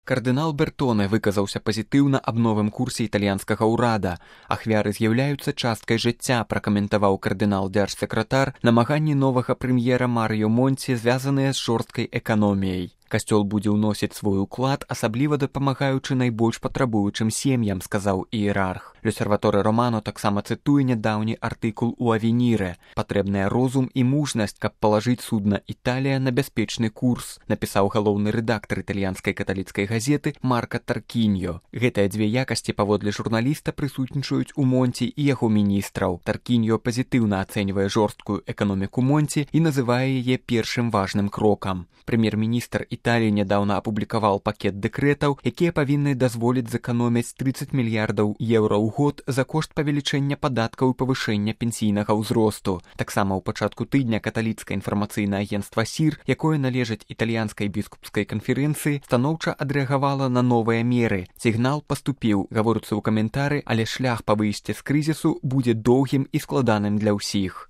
Кардынал Бертоне выказаўся пазітыўна аб новым курсе італьянскага ўрада. Ахвяры з'яўляюцца часткай жыцця, пракаментаваў кардынал-дзяржсакратар намаганні новага прэм'ера Марыё Монці, звязаныя з жорсткай эканоміяй. Касцёл будзе ўносіць свой уклад, асабліва дапамагаючы найбольш патрабуючым сем'ям, сказаў іерарх. L'Osservatore Romano таксама цытуе нядаўні артыкул у Авеніре. Патрэбная розум і мужнасць, каб палажыць судна «Італія» на бяспечны курс, напісаў галоўны рэдактар італьянскай каталіцкай газеты Марка Таркіньо. Гэтыя дзве якасці, паводле журналіста, прысутнічаюць у Монці і яго міністраў. Таркіньо пазітыўна ацэньвае жорсткую эканоміку Монці і называе яе першым важным крокам. Прэм'ер-міністр Італіі нядаўна апублікаваў пакет дэкрэтаў, якія павінны дазволіць зэканоміць 30 мільярдаў еўра ў год за кошт павелічэння падаткаў і павышэння пенсійнага ўзросту. Таксама ў пачатку тыдня каталіцкае інфармацыйнае агенцтва СІР, якое належыць італьянскай біскупскай канферэнцыі, станоўча адрэагавала на новыя меры. Сігнал паступіў, гаворыцца ў каментары, але шлях па выйсці з крызісу будзе доўгім і складаным для ўсіх.